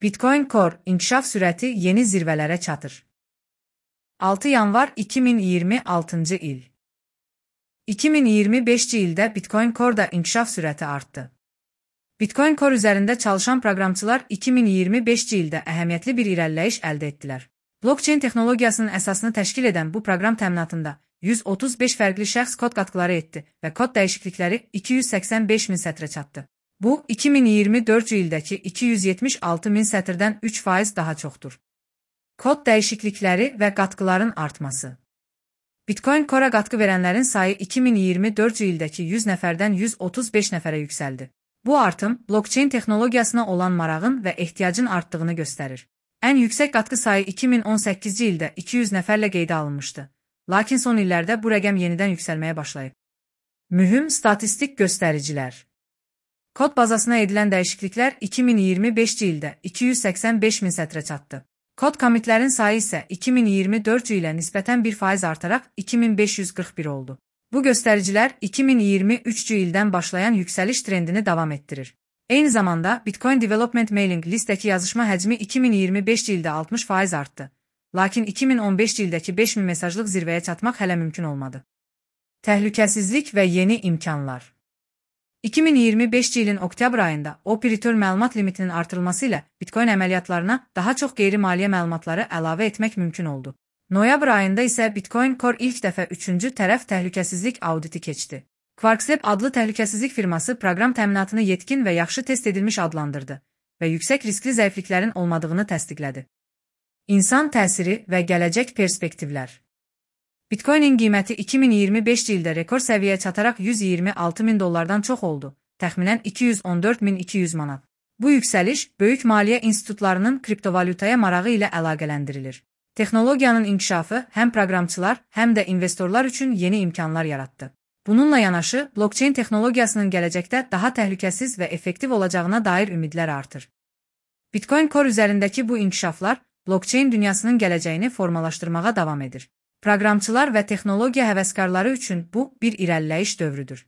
Bitcoin Core inkişaf sürəti yeni zirvələrə çatır. 6 yanvar 2026-cı il. 2025-ci ildə Bitcoin Core'da inkişaf sürəti artdı. Bitcoin Core üzərində çalışan proqramçılar 2025-ci ildə əhəmiyyətli bir irəliləyiş əldə etdilər. Blockchain texnologiyasının əsasını təşkil edən bu proqram təminatında 135 fərqli şəxs kod qatqıları etdi və kod dəyişiklikləri 285 min sətrə çatdı. Bu, 2024-cü ildəki 276 min sətirdən 3% daha çoxdur. Kod dəyişiklikləri və qatqıların artması. Bitcoin Core'a qatqı verənlərin sayı 2024-cü ildəki 100 nəfərdən 135 nəfərə yüksəldi. Bu artım, blockchain texnologiyasına olan marağın və ehtiyacın artdığını göstərir. Ən yüksək qatqı sayı 2018-ci ildə 200 nəfərlə qeydə alınmışdı. Lakin son illərdə bu rəqəm yenidən yüksəlməyə başlayıb. Mühüm statistik göstəricilər. Kod bazasına edilən dəyişikliklər 2025-ci ildə 285 min sətrə çatdı. Kod commitlərin sayı isə 2024-cü ilə nisbətən 1% artaraq 2541 oldu. Bu göstəricilər 2023-cü ildən başlayan yüksəliş trendini davam etdirir. Eyni zamanda Bitcoin Development Mailing Listdəki yazışma həcmi 2025-ci ildə 60% artdı. Lakin 2015-ci ildəki 5000 mesajlıq zirvəyə çatmaq hələ mümkün olmadı. Təhlükəsizlik və yeni imkanlar. 2025-ci ilin oktyabr ayında operator məlumat limitinin artırılması ilə Bitcoin əməliyyatlarına daha çox qeyri-maliyyə məlumatları əlavə etmək mümkün oldu. Noyabr ayında isə Bitcoin Core ilk dəfə 3-cü tərəf təhlükəsizlik auditi keçdi. QuarkSlab adlı təhlükəsizlik firması proqram təminatını yetkin və yaxşı test edilmiş adlandırdı və yüksək riskli zəifliklərin olmadığını təsdiqlədi. İnsan təsiri və gələcək perspektivlər. Bitcoin'in qiyməti 2025-ci ildə rekord səviyyəyə çataraq 126 min dollardan çox oldu, təxminən 214.200 manat. Bu yüksəliş, böyük maliyyə institutlarının kriptovalyutaya marağı ilə əlaqələndirilir. Texnologiyanın inkişafı həm proqramçılar, həm də investorlar üçün yeni imkanlar yaratdı. Bununla yanaşı, blockchain texnologiyasının gələcəkdə daha təhlükəsiz və effektiv olacağına dair ümidlər artır. Bitcoin Core üzərindəki bu inkişaflar, blockchain dünyasının gələcəyini formalaşdırmağa davam edir. Proqramçılar və texnologiya həvəskarları üçün bu bir irəliləyiş dövrüdür.